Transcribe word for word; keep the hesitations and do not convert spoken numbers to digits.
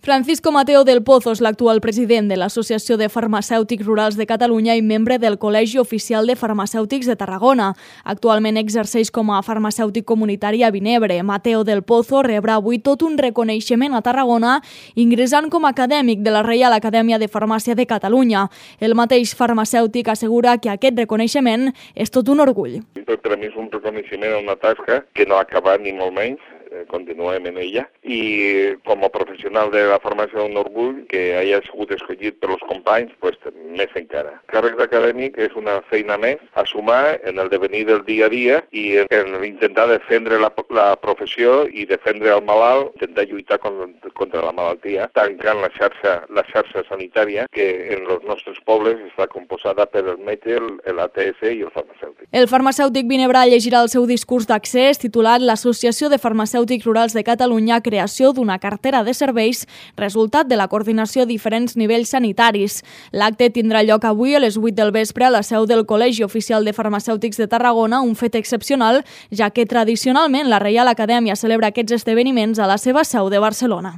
Francisco Mateo del Pozo és l'actual president de l'Associació de Farmacèutics Rurals de Catalunya i membre del Col·legi Oficial de Farmacèutics de Tarragona. Actualment exerceix com a farmacèutic comunitari a Vinebre. Mateo del Pozo rebrà avui tot un reconeixement a Tarragona ingressant com a acadèmic de la Reial Acadèmia de Farmàcia de Catalunya. El mateix farmacèutic assegura que aquest reconeixement és tot un orgull. Per a mi és un reconeixement a una tasca que no ha acabat ni molt menys, continuem en ella, i com a professional de la farmàcia un orgull que hagi sigut escollit per els companys, pues, més encara. El càrrec d'acadèmic és una feina més a sumar en el devenir del dia a dia i en intentar defendre la, la professió i defendre el malalt, intentar lluitar contra, contra la malaltia, tancant la xarxa, la xarxa sanitària que en els nostres pobles està composada per el metge, l'A T S i el farmacèutic. El farmacèutic vinebrà llegirà el seu discurs d'accés titulat l'Associació de Farmacèutics Rurals de Catalunya, creació d'una cartera de serveis, resultat de la coordinació a diferents nivells sanitaris. L'acte tindrà lloc avui a les vuit del vespre a la seu del Col·legi Oficial de Farmacèutics de Tarragona, un fet excepcional, ja que tradicionalment la Reial Acadèmia celebra aquests esdeveniments a la seva seu de Barcelona.